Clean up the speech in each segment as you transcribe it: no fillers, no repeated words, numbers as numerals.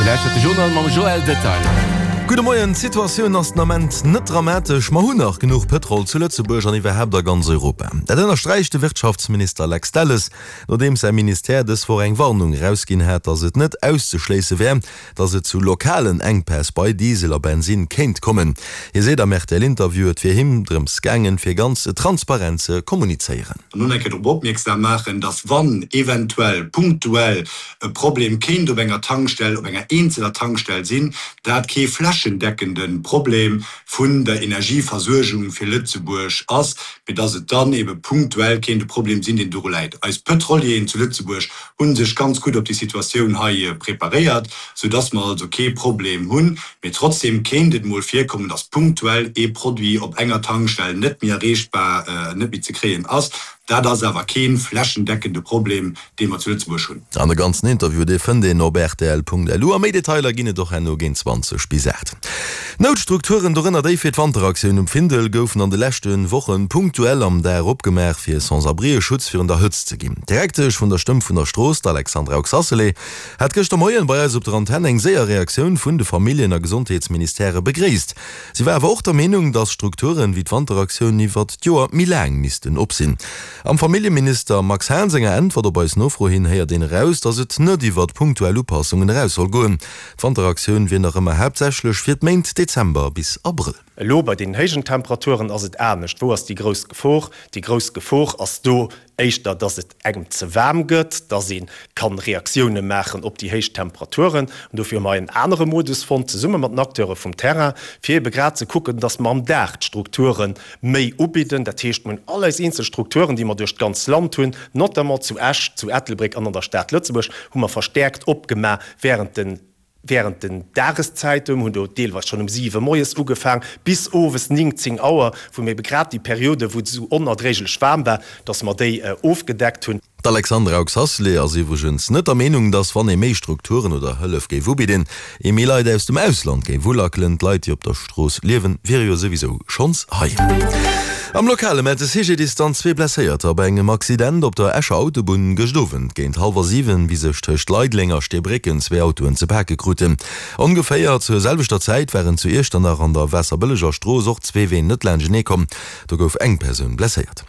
Dir lauschtert de Journal mam Joël Detail. Gudde Moien, D'Situatioun ass den Ament net dramatesch. Mer hunn nach genuch Pëtrol zu Lëtzebuerg an iwwerhaapt a ganz Europa. Dat ënnersträicht de Wirtschaftsminister Lex Delles, nodeems säi Ministère dës Woch eng Warnung erausginn hat, datt et net auszeschléisse wär, datt et zu lokalen Enkpäss bei Diesel a Bensinn kéint kommen. Hie seet am RTL-Interview, et wier him drëms gaangen, fir ganz transparent ze kommunizéieren. An och eng Kéier drop opmierksam maachen, datt wann eventuell punktuell e Problem kéint op enger Tankstell, op enger eenzeler Tankstell sinn, dat kee flächendeckende Problem vun der Energieversuergung fir Lëtzebuerg ass, mee datt et dann ebe punktuell kéint e Problem sinn, deen doru läit. Eis Pëtrolieren zu Lëtzebuerg hu sech ganz gutt op déi Situatioun hei preparéiert, soudass mer also kee Problem hunn. Mee trotzdem kéint et mol virkommen, dass punktuell ee Produit op enger Tankstell net méi erreechbar, net méi ze kréien ass. Dat ass awer kee flächendeckende Problem, dee mer zu Lëtzebuerg hunn. An de ganzen Interview, dee fënnt een op rtl.lu a méi Detailer ginn et och herno géint 20 bis 8. Noutstrukturen, dorënner déi fir d'Wanteraktioun um Findel, goufen an de leschte Woche punktuell am Dag opgemaach, fir Sans-abrien Schutz virun der Hëtzt ze ginn. D'Direktesch vun der Stëmm vun der Strooss, d'Alexandra Oxacelay, hat gëschter Moien bei eis op der Antenn eng séier Reaktioun vun de Familljen a Gesondheetsministèrë begréisst. Si war awer och der Meenung, datt Strukturen wéi d'Wanteraktioun iwwert d'Joer méi laang missten op sinn. Am Familljeminister Max Hahn senger Äntwert op eis Nofro hin héiert een eraus, datt et net iwwert punktuell Upassungen eraus soll goen. D'Wanteraktioun wier nach ëmmer haaptsächlech fir d'Méint Dezember bis Abrëll. Elo bei deenen héijen Temperaturen ass et anescht. Wou ass déi grouss Gefor? Déi grouss Gefor ass do éischter, dass et engem ze waarm gëtt, dass ee kann Reaktioune maachen op déi héich Temperaturen. An dofir hu mer en anere Modus fonnt, zesumme mat den Acteure vum Terrain, fir ebe grad ze kucken, dass mer am Dag d'Strukture méi ubidden. Dat heescht, mir hunn all eis eenzel Strukturen, déi mer duerch d'ganz Land hunn, notamment zu Esch, zu Ettelbréck an an der Stad Lëtzebuerg, hu mer verstäerkt opgemaach während den während den Dageszäiten, mir hunn do deelweis schonn um siwe moies ugefaang, bis owes 9, 10 Auer, wou mir ebe grad déi Periode, wou et esou onerdréiglech waarm war, dass mer déi ofgedeckt hunn. D'Alexandra Oxacelay ass iwwregens net der Meenung, datt wann ee méi Strukturen oder Hëllef géif ubidden, ee méi Leit aus dem Ausland géif ulackelen. D'Leit, déi op der Strooss liewen, wiere jo souwisou schonns hei. Am Lokale mellt de CGDIS dann zwee Blesséierter bei engem Accident op der Escher Autobunn gëscht Owend géint hallwer 7, wéi sech tëscht Leideleng a Steebrécken zwee Autoen ze pake kruten. Ongeféier zur selwechter Zäit waren zu Iechternach an der Waasserbëlleger Strooss och zwee Ween net laanschtenee komm. Do gouf eng Persoun blesséiert.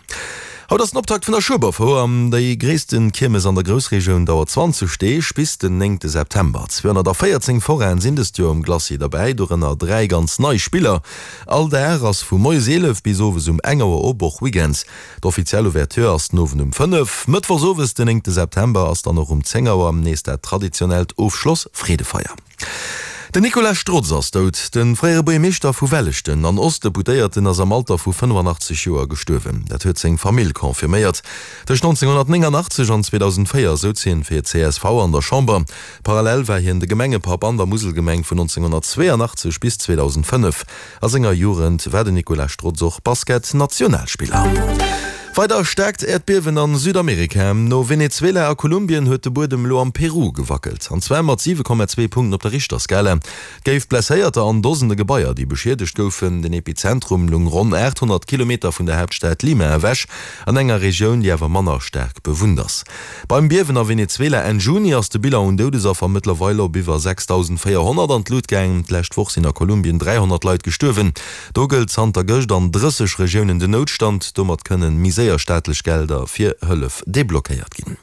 Haut ass den Optakt vun der Schueberfouer. Déi gréissten Kiermes an der Groussregioun dauert 20 Deeg, bis den néngte September. 214 Forainen sinn dëst Joer um Glacis derbäi, dorënner 3 ganz nei Spiller. All Dag ass vu moies 11 bis owes um eng Auer op, och Weekends. D'offiziell Ouverture ass den Owend um 5. Mëttwochs owes den néngte September ass dann och um 10 Auer nees dat traditionellt Ofschloss-Freedefeier. Den Nicolas Strotz ass dout. De fréiere Buergermeeschter vu Welleschten an Ostdeputéierten ass am Alter vu 85 Joer gestuerwen. Dat huet seng Famill confirméiert. Tëscht 1989 an 2004 souz hien fir csv an der Chamber. Parallel war hien de Gemengepapp an der Muselgemeng vun 1982 bis 2005. A senger Jugend war den Nicolas Strotz och Basket-Nationalspiller. Weider staarkt Äerdbiewen a Südamerika. No Venezuela a Kolumbien huet de Buedem elo am Peru gewackelt, an zwar mat 7,2 Punkten op der Richterskala. Et géif Blesséierter an Dosende Gebaier, déi beschiedegt goufen. Den Epizentrum lung ronn 800 Kilometer vun der Haaptstad Lima ewech, an enger Regioun, déi awer manner staark bewunnt ass. Beim Biewen a Venezuela Enn Juni ass de Bilan un Doudesaffer mëttlerweil op iwwer 6.400 an d'Lut gaang. D'lescht Woch sinn a Kolumbien 300 Leit gestuerwen. Do gëllt zanter gëscht an 30 Regiounen den Noutstand. Domat kënnen méi séier staatlech Gelder fir Hëllef deblockéiert ginn.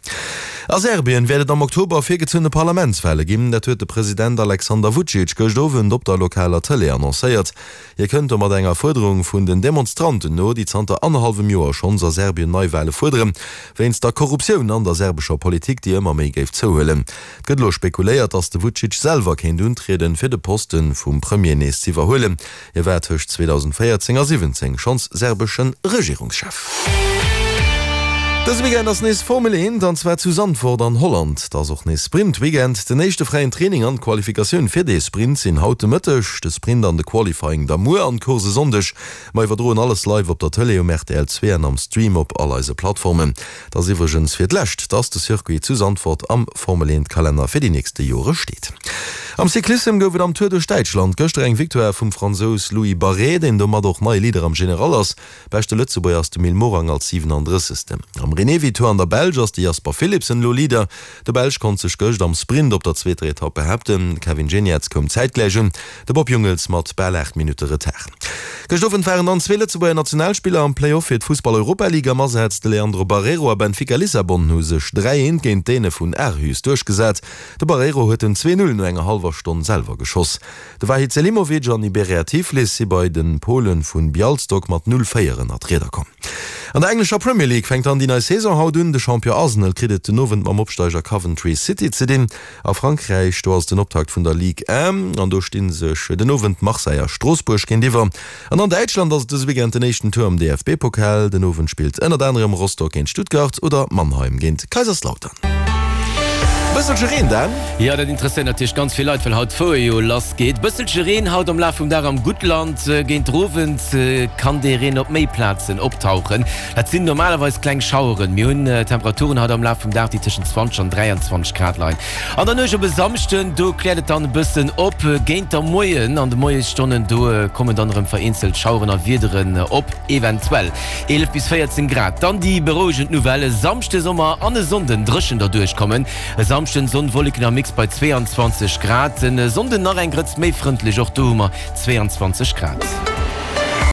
A Serbien wäert et am Oktober virgezunne Parlamentswale ginn. Dat huet de President Alexander Vucic gëscht Owend op der lokaler Tëlee annoncéiert. Hie kënnt domat enger Fuerderung vun den Demonstranten no, déi zanter annerhallwem Joer schonns a Serbien Neiwale fuerderen, wéinst der Korruptioun an der serbescher Politik, déi ëmmer méi géif zouhuelen. Et gëtt elo spekuléiert, datt de Vucic selwer kéint untrieden, fir de Poste vum Premier nees z'iwwerhuelen. Hie war tëscht 2014 a 17 schonns serbesche Regierungschef. Dëse Weekend ass nees Formel 1, an zwar zu Zandvoort an Holland. Et ass och nees Sprint-Weekend. Den éischte fräien Training an d'Qualifikatioun fir dee Sprint sinn haut de Mëtteg, de Sprint an de Qualifying da muer an d'Course e Sonndeg. Mer iwwerdroen alles live op der Tëlee, um rtl 2 an am Stream op all eise Plattformen. Et ass iwwregens fir d'lescht, dass de Circuit zu Zandvoort am Formel 1 Kalenner fir déi nächste Jore steet. Am Cyclissem gouf et am Tour duerch Däitschland gëschter eng Victoire vum Fransous Louis Barré, deen domat och neie Leader am General ass. Beschte Lëtzebuerger ass de Mil Morang als 37. Am Renewi Tour an der Belsch ass de Jasper Philipsen elo Leader. De Belsch konnt sech gëscht am Sprint op der zweeter Etapp behaapten. De Kevin Geniets koum zäitgläich un, de Bob Jungels mat bal 8 Minutte Retard. Gëscht Owend waren dann zwee Lëtzebuerger Nationalspiller am Play-Off fir d'Fussball-Europa-League am Asaz. De Leandro Barreiro a Benfica Lissabon hu sech 3, 1 géint d'Däne vun Aarhus duerchgesat. De Barreiro huet den 2, 0 no enger hallwer Stonn selwer geschoss. De Vahid Selimovic an Iberia Tiflis si bei de Pole vu Bialstok mat 0, 4 ënner d'Rieder komm. An der englescher Premier League fänkt dann déi nei Saison haut un. De Champion Arsenal kritt et den Owend mam Opsteiger Coventry City ze dinn. A Frankräich, do ass et den Optakt vun der Ligue 1 an do sti sech den Owend Marseille a Stroossbuerg géintiwwer. An an Däitschland ass et dëse Weekend den éischten Tour am DFB-Pokal. Den Owend spillt ënnert anerem Rostock géint Stuttgart oder Mannheim géint Kaiserslautern. Bësselche Reen, Dan? Jo, dat interesséiert natierlech ganz vill Leit, well haut d'Foe jo lass geet. Bësselche Reen haut am Laf vum Dag am Guttland. Géint den Owend kann dee Reen op méi Plazen optauchen. Dat sinn normalerweis kleng Schaueren. Mir hunn Temperaturen haut am Laf vum Dag, déi tëschent 20 an 23 Grad leien. An der Nuecht op e Samschden, do kläert et dann e bëssen op. Géint der Moien, an de Moiesstonnen, do kommen dann erëm vereenzelt Schaueren a Wiederen op, eventuell 11 bis 14 Grad. Dann déi berouegend Nouvelle, e Samschde Summer an e Sonnden dréchen derduerch kommen. E Samschden Sonn, Wolleken am Mix bei 22 Grad, e Sonnden nach eng Grëtz méi frëndlech, och do hu mer 22 Grad.